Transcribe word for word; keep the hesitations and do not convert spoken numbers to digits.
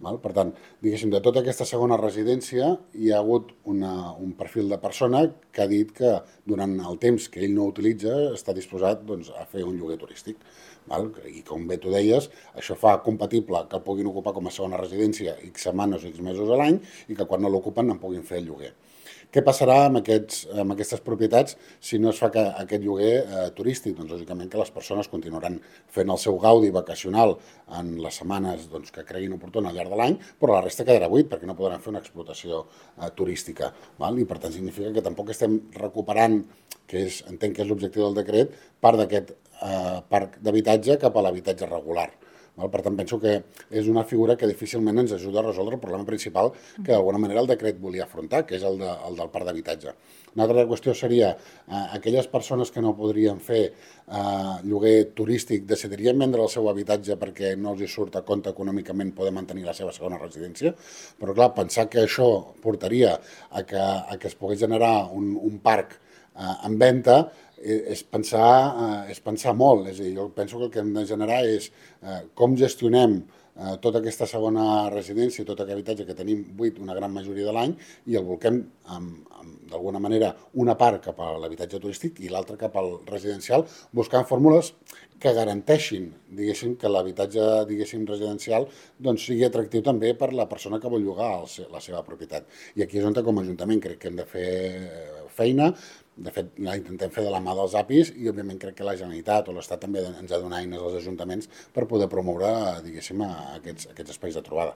Per tant, diguéssim, de tota aquesta segona residència hi ha hagut una, un perfil de persona que ha dit que durant el temps que ell no utilitza està disposat doncs, a fer un lloguer turístic. Val? I com bé tu deies, això fa compatible que el puguin ocupar com a segona residència X setmanes o X mesos a l'any i que quan no l'ocupen en puguin fer el lloguer. Què passarà amb, aquests, amb aquestes propietats si no es fa que, aquest lloguer eh, turístic? Doncs lògicament que les persones continuaran fent el seu gaudi vacacional en les setmanes doncs, que creguin oportuna al llarg de l'any, però la resta quedarà buit perquè no podran fer una explotació eh, turística. Val? I per tant significa que tampoc estem recuperant, que és, entenc que és l'objectiu del decret, part d'aquest eh, parc d'habitatge cap a l'habitatge regular. Per tant, penso que és una figura que difícilment ens ajuda a resoldre el problema principal que d'alguna manera el decret volia afrontar, que és el, de, el del parc d'habitatge. Una altra qüestió seria eh, aquelles persones que no podrien fer eh, lloguer turístic decidirien vendre el seu habitatge perquè no els hi surt a compte econòmicament poder mantenir la seva segona residència, però clar, pensar que això portaria a que, a que es pogués generar un, un parc eh, en venda és pensar, eh, és pensar molt. És a dir, jo penso que el que hem de generar és eh, com gestionem eh, tota aquesta segona residència, tot aquest habitatge que tenim buit una gran majoria de l'any i el volquem d'alguna manera una part cap a l'habitatge turístic i l'altra cap al residencial, buscant fórmules que garanteixin, diguéssim, que l'habitatge, diguéssim, residencial doncs sigui atractiu també per la persona que vol llogar el, la seva propietat. I aquí és on com a Ajuntament crec que hem de fer feina. De fet, la intentem fer de la mà dels A P Is i, òbviament, crec que la Generalitat o l'Estat també ens ha de donar eines als ajuntaments per poder promoure, diguéssim, aquests, aquests espais de trobada.